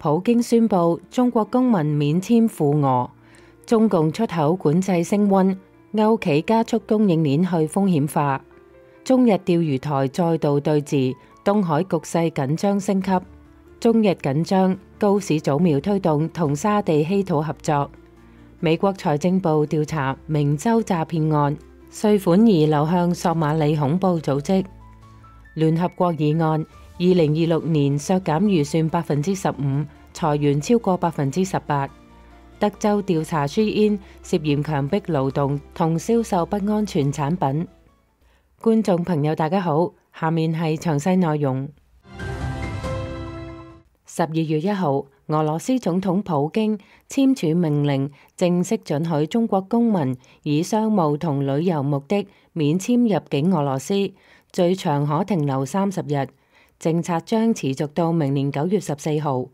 普京宣布中國公民免簽赴俄，中共出口管制升溫，歐企加速供應鏈去風險化，中日釣魚台再度對峙，東海局勢緊張升級，中日緊張，高市早苗推動同沙地稀土合作，美國財政部調查明州詐騙案，稅款疑流向索馬里恐怖組織，聯合國議案2026年削減預算15%，裁員超過18%。德州調查 Shein 涉嫌強迫勞動同銷售不安全產品。觀眾朋友大家好，下面係詳細內容。12月1號，俄羅斯總統普京簽署命令，正式准許中國公民以商務同旅遊目的免簽入境俄羅斯，最長可停留30日。政策將持續到明年9月14號。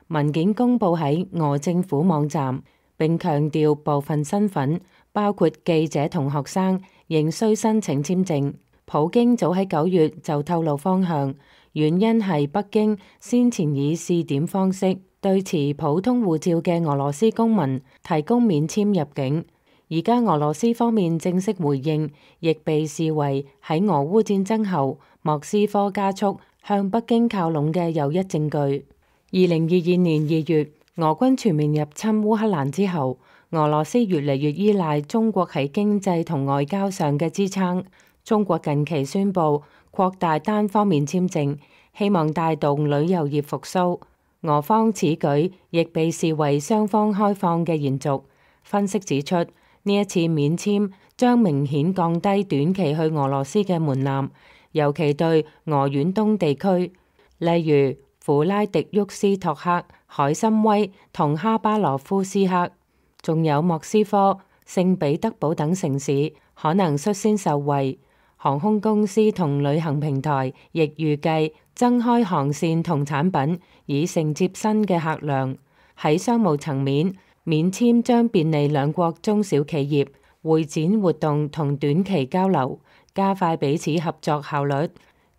文件公佈喺俄政府網站，並強調部分身份，包括記者同學生，仍需申請簽證。普京早喺9月就透露方向，原因係北京先前以試點方式對持普通護照嘅俄羅斯公民提供免簽入境。而家俄羅斯方面正式回應，亦被視為喺俄烏戰爭後莫斯科加速向北京靠攏嘅又一證據。2022年2月，俄軍全面入侵烏克蘭之後，俄羅斯越嚟越依賴中國喺經濟同外交上嘅支撐。中國近期宣布擴大單方面簽證，希望帶動旅遊業復甦。俄方此舉亦被視為雙方開放嘅延續。分析指出，呢一次免簽將明顯降低短期去俄羅斯嘅門檻，尤其對俄遠東地區，例如弗拉迪沃斯托克、海參崴同哈巴羅夫斯克，仲有莫斯科、聖彼得堡等城市，可能率先受惠。航空公司同旅行平台亦預計增開航線同產品，以承接新嘅客量。喺商務層面，免簽將便利兩國中小企業會展活動同短期交流，加快彼此合作效率。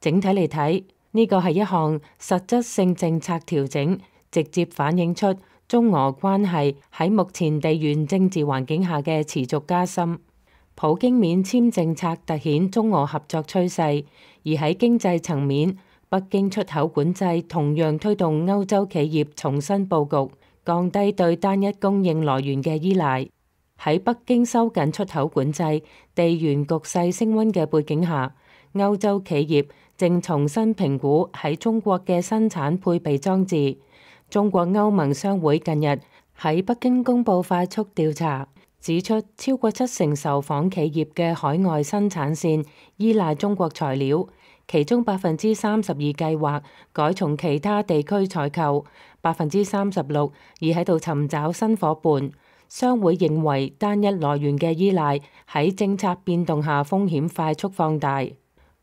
整體嚟睇，呢個係一項實質性政策調整，直接反映出中俄關係喺目前地緣政治環境下嘅持續加深。普京免簽政策凸顯中俄合作趨勢，而喺經濟層面，北京出口管制同樣推動歐洲企業重新佈局，降低對單一供應來源嘅依賴。喺北京收緊出口管制、地緣局勢升溫嘅背景下，歐洲企業正重新評估喺中國嘅生產配備裝置。中國歐盟商會近日喺北京公佈快速調查，指出超過70%受訪企業嘅海外生產線依賴中國材料，其中32%計劃改從其他地區採購，36%而喺度尋找新夥伴。商會認為單一來源嘅依賴喺政策變動下風險快速放大。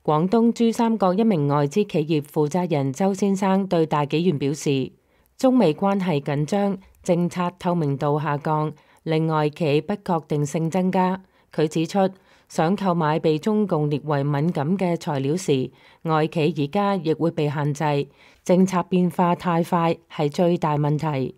廣東珠三角一名外資企業負責人周先生對大紀元表示，中美關係緊張，政策透明度下降，令外企不確定性增加。佢指出，想購買被中共列為敏感嘅材料時，外企而家亦會被限制。政策變化太快係最大問題。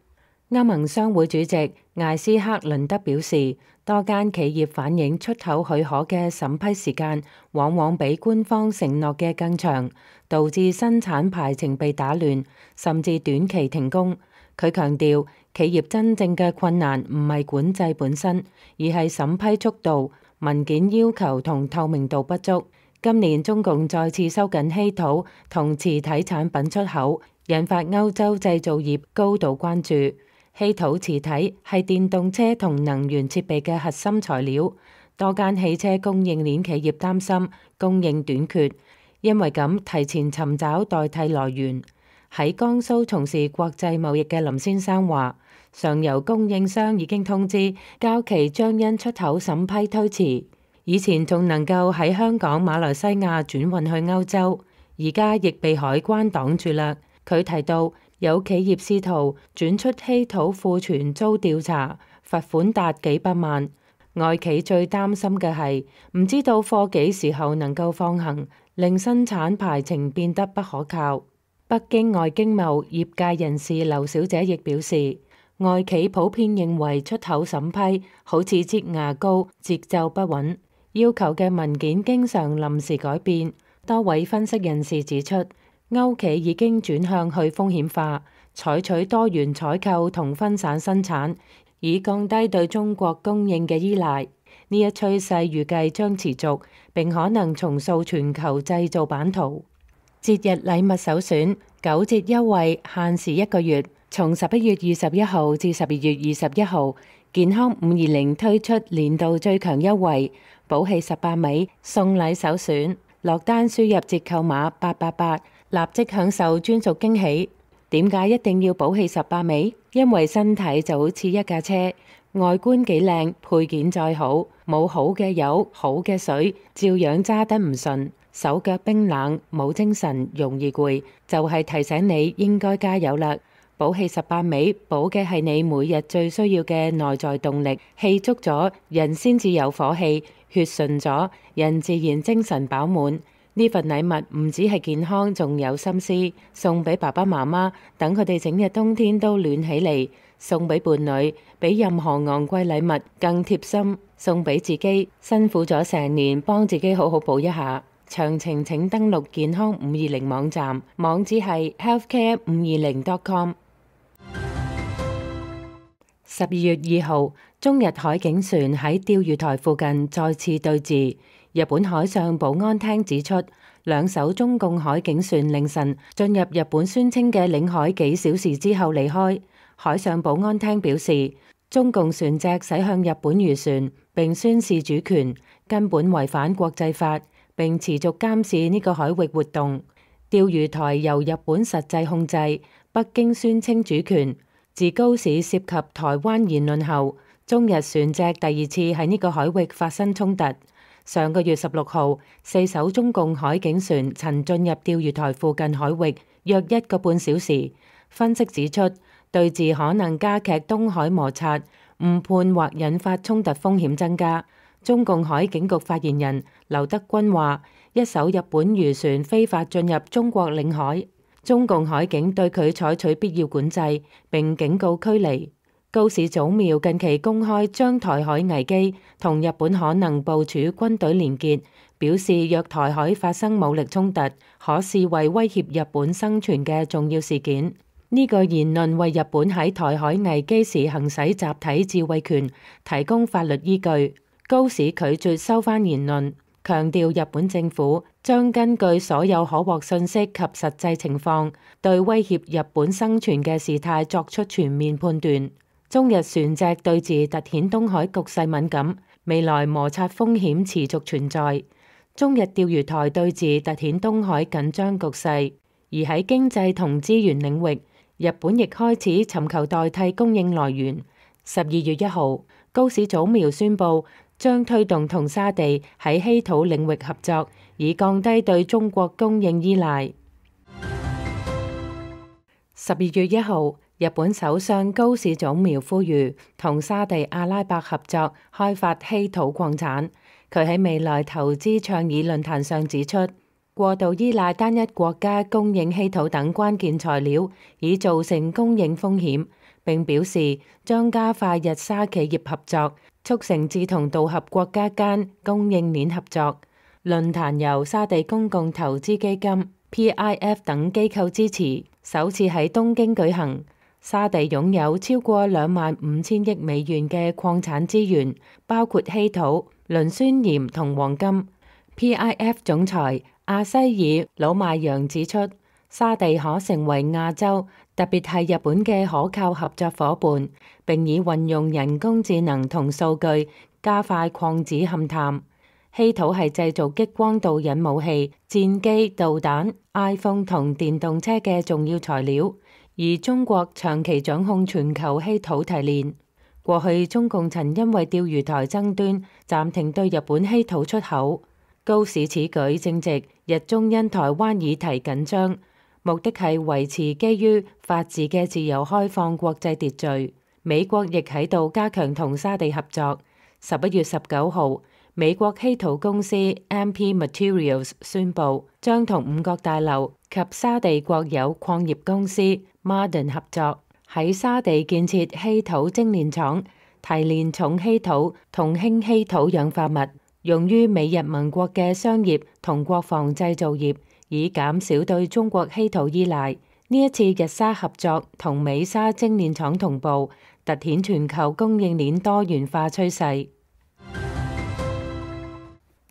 歐盟商會主席艾斯克倫德表示，多間企業反映出口許可嘅審批時間往往比官方承諾嘅更長，導致生產排程被打亂，甚至短期停工。佢強調，企業真正嘅困難唔係管制本身，而係審批速度、文件要求同透明度不足。今年中共再次收緊稀土同磁體產品出口，引發歐洲製造業高度關注。稀土磁體係電動車同能源設備嘅核心材料，多間汽車供應鏈企業擔心供應短缺，因為咁提前尋找代替來源。喺江蘇從事國際貿易嘅林先生話，上游供應商已經通知交期將因出口審批推遲，以前仲能夠喺香港、馬來西亞轉運去歐洲，而家亦被海關擋住啦。佢提到，有企業試圖轉出稀土庫存遭調查，罰款達幾百萬。外企最擔心嘅係唔知道貨幾時候能夠放行，令生產排程變得不可靠。北京外經貿業界人士劉小姐亦表示，外企普遍認為出口審批好似擠牙膏，節奏不穩，要求嘅文件經常臨時改變。多位分析人士指出，歐企已經轉向去風險化，採取多元採購同分散生產，以降低對中國供應嘅依賴。呢一趨勢預計將持續，並可能重塑全球製造版圖。節日禮物首選9折優惠，限時1個月，從11月21號至12月21號，健康520推出年度最強優惠，寶氣18味送禮首選，落單輸入折扣碼888，立即享受專屬驚喜。點解一定要寶氣18味？因為身體就好似一架車，外觀幾靚，配件再好，冇好嘅油、好嘅水，照樣揸得唔順，手腳冰冷，冇精神，容易攰，就係提醒你應該加油啦！寶氣18味，補嘅係你每日最需要嘅內在動力，氣足咗，人先至有火氣，血順咗，人自然精神飽滿。呢份禮物唔止係健康，仲有心思，送俾爸爸媽媽，等佢哋整日冬天都暖起嚟；送俾伴侶，比任何昂貴禮物更貼心；送俾自己，辛苦咗成年，幫自己好好補一下。詳情請登錄健康520網站，網址係 healthcare520.com。12月2號，中日海警船喺釣魚台附近再次對峙。日本海上保安廳指出，兩艘中共海警船凌晨進入日本宣稱嘅領海幾小時之後離開。海上保安廳表示，中共船隻駛向日本漁船並宣示主權，根本違反國際法，並持續監視呢個海域活動。釣魚台由日本實際控制，北京宣稱主權。自高市涉及台灣言論後，中日船隻第2次喺呢個海域發生衝突。上個月16號，4艘中共海警船曾進入釣魚台附近海域約1個半小時。分析指出，對峙可能加劇東海摩擦，誤判或引發衝突風險增加。中共海警局發言人劉德軍話，一艘日本漁船非法進入中國領海，中共海警對佢採取必要管制，並警告驅離。高市早苗近期公開將台海危機同日本可能部署軍隊連結，表示若台海發生武力衝突，可視為威脅日本生存嘅重要事件。呢個言論為日本喺台海危機時行使集體自衛權提供法律依據。高市拒絕收返言論，強調日本政府將根據所有可獲信息及實際情況，對威脅日本生存嘅事態作出全面判斷。中日船隻對峙凸顯東海局勢敏感，未來摩擦風險持續存在。中日釣魚台對峙凸顯東海緊張局勢，而喺經濟同資源領域，日本亦開始尋求代替供應來源。12月1號，高市早苗宣布將推動同沙地喺稀土領域合作，以降低對中國供應依賴。12月1號，日本首相高市早苗呼籲同沙地阿拉伯合作開發稀土礦產。佢喺未來投資倡議論壇上指出，過度依賴單一國家供應稀土等關鍵材料，已造成供應風險。並表示將加快日沙企業合作，促成志同道合國家間供應鏈合作。論壇由沙地公共投資基金、PIF 等機構支持，首次喺東京舉行。沙地擁有超過25,000億美元嘅礦產資源，包括稀土、磷酸鹽同黃金。PIF 總裁阿西爾魯邁揚指出，沙地可成為亞洲，特別係日本嘅可靠合作夥伴，並以運用人工智能同數據加快礦址勘探。稀土係製造激光導引武器、戰機、導彈、iPhone 同電動車嘅重要材料。而中國長期掌控全球稀土提煉。過去中共曾因為釣魚台爭端暫停對日本稀土出口。高市此舉正值日中因台灣議題緊張，目的係維持基於法治嘅自由開放國際秩序。美國亦喺度加強同沙地合作。11月19號，美國稀土公司 MP Materials 宣布將同五角大樓及沙地國有礦業公司 Ma'aden 合作，喺沙地建設稀土精煉廠，提煉重稀土同輕稀土氧化物，用於美日盟國嘅商業同國防製造業，以減少對中國稀土依賴。呢一次日沙合作同美沙精煉廠同步，凸顯全球供應鏈多元化趨勢。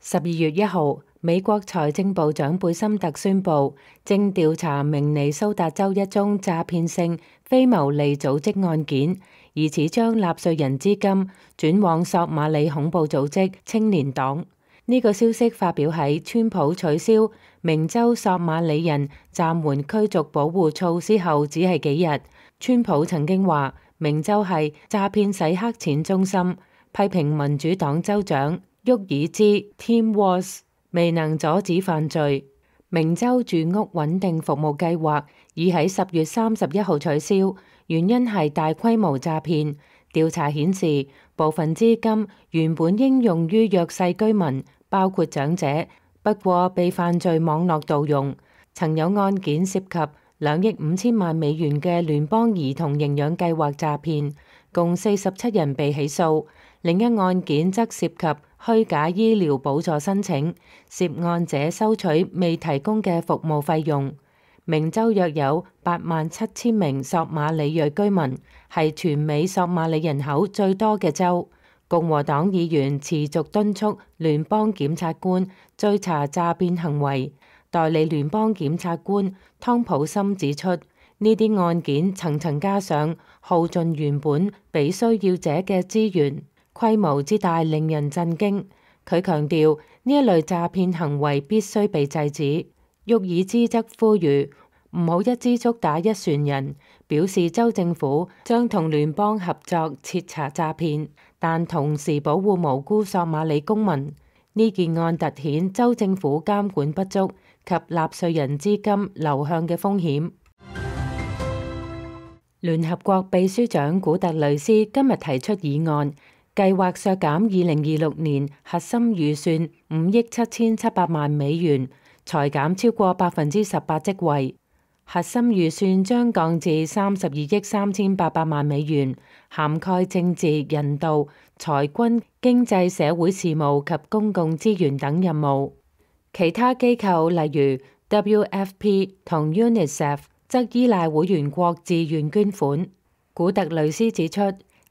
12月1號，美國財政部長貝森特宣布，正調查明尼蘇達州一宗詐騙性非牟利組織案件，疑似將納稅人資金轉往索馬里恐怖組織青年黨。呢個消息發表喺川普取消明州索馬里人暫緩驅逐保護措施後只係幾日。川普曾經話明州係詐騙洗黑錢中心，批評民主黨州長沃爾茲 Tim Walz 未能阻止犯罪。明州住屋穩定服務計劃已喺10月31號取消，原因係大規模詐騙。調查顯示，部分資金原本應用於弱勢居民，包括長者，不過被犯罪網絡盜用。曾有案件涉及2億5千萬美元嘅聯邦兒童營養計劃詐騙，共47人被起訴。另一案件則涉及虛假醫療補助申請，涉案者收取未提供嘅服務費用。明州約有87000名索馬里裔居民，係全美索馬里人口最多嘅州。共和黨議員持續敦促聯邦檢察官追查詐騙行為。代理聯邦檢察官湯普森指出，呢啲案件層層加上，耗盡原本俾需要者嘅資源，規模之大令人震驚。佢強調呢一類詐騙行為必須被制止。沃爾茲則呼籲唔好一支竹打一船人，表示州政府將同聯邦合作徹查詐騙，但同時保護無辜索馬里公民。呢件案凸顯州政府監管不足及納稅人資金流向嘅風險。聯合國秘書長古特雷斯今日提出議案，計劃削減2026年核心預算5億7700萬美元，裁減超過18%職位。核心預算將降至32億3800萬美元，涵蓋政治、人道、財軍、經濟、社會事務及公共資源等任務。其他機構例如 WFP 同 UNICEF 則依賴會員國自願捐款。古特雷斯指出，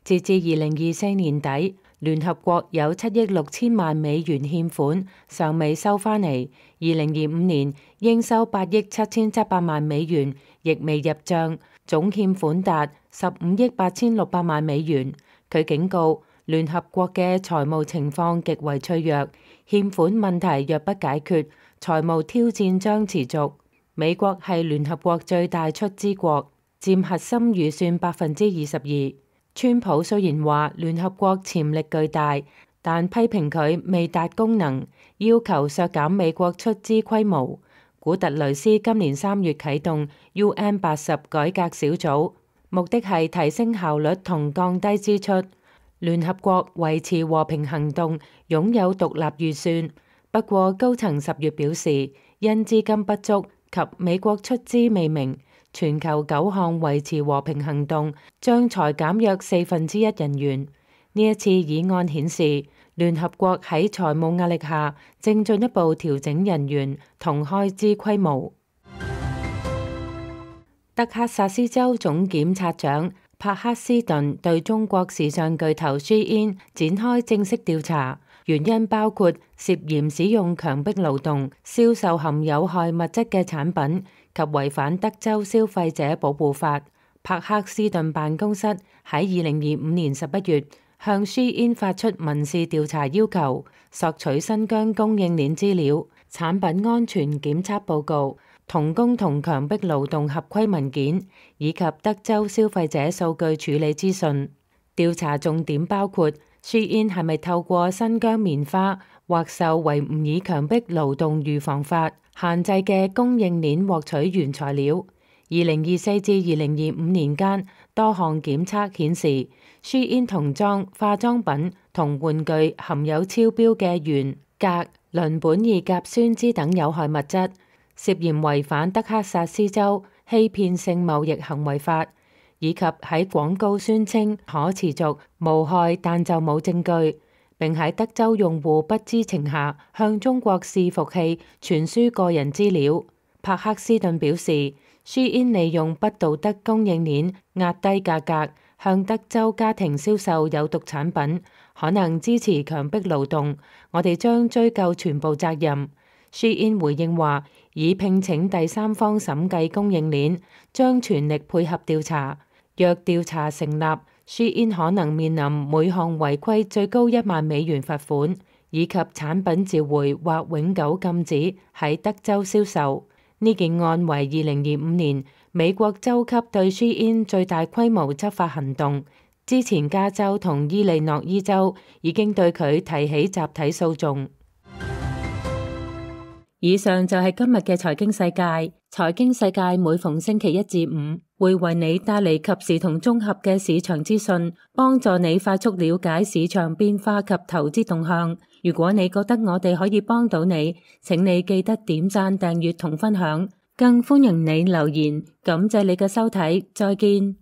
截至2024年底，聯合國有7億6000萬美元欠款尚未收返嚟，2025年應收8億7700萬美元亦未入帳，總欠款達15億8600萬美元。佢警告，聯合國嘅財務情況極為脆弱，欠款問題若不解決，財務挑戰將持續。美國係聯合國最大出資國，佔核心預算22%。川普雖然話聯合國潛力巨大，但批評佢未達功能，要求削減美國出資規模。古特雷斯今年3月啟動 UN80改革小組，目的係提升效率同降低支出。聯合國維持和平行動擁有獨立預算，不過高層10月表示，因資金不足及美國出資未明，全球9項維持和平行動將裁減約1/4人員。呢一次議案顯示，聯合國喺財務壓力下正進一步調整人員同開支規模。德克薩斯州總檢察長帕克斯頓對中國時尚巨頭 Shein 展開正式調查，原因包括涉嫌使用強迫勞動、銷售含有害物質嘅產品及違反德州消費者保護法。帕克斯頓辦公室喺2025年11月向 Shein 發出民事調查要求，索取新疆供應鏈資料、產品安全檢測報告、童工同強迫勞動合規文件，以及德州消費者數據處理資訊。調查重點包括 Shein 係咪透過新疆棉花或受維吾爾強迫勞動預防法限制嘅供應鏈獲取原材料， 2024至2025年間，多項檢測顯示，SHEIN童裝、化妝品同玩具含有超標嘅鉛、鎘、鄰苯二甲酸酯等有害物質，涉嫌違反德克薩斯州欺騙性貿易行為法，以及喺廣告宣稱可持續、無害，但就冇證據，並喺德州用戶不知情下向中國伺服器傳輸個人資料。帕克斯頓表示，SHEIN利用不道德供應鏈壓低價格，向德州家庭銷售有毒產品，可能支持強迫勞動。我哋將追究全部責任。SHEIN 回應話，已聘請第三方審計供應鏈，將全力配合調查。若調查成立，SHEIN 可能面臨每項違規最高$10,000罰款，以及產品召回或永久禁止喺德州銷售。呢件案為2025年美國州級對 SHEIN 最大規模執法行動。之前加州同伊利諾伊州已經對佢提起集體訴訟。以上就係今日嘅財經世界。財經世界每逢星期一至五會為你帶嚟及時同綜合嘅市場資訊，幫助你快速了解市場變化及投資動向。如果你覺得我哋可以幫到你，請你記得點讚、訂閱同分享，更歡迎你留言。感謝你嘅收睇，再見。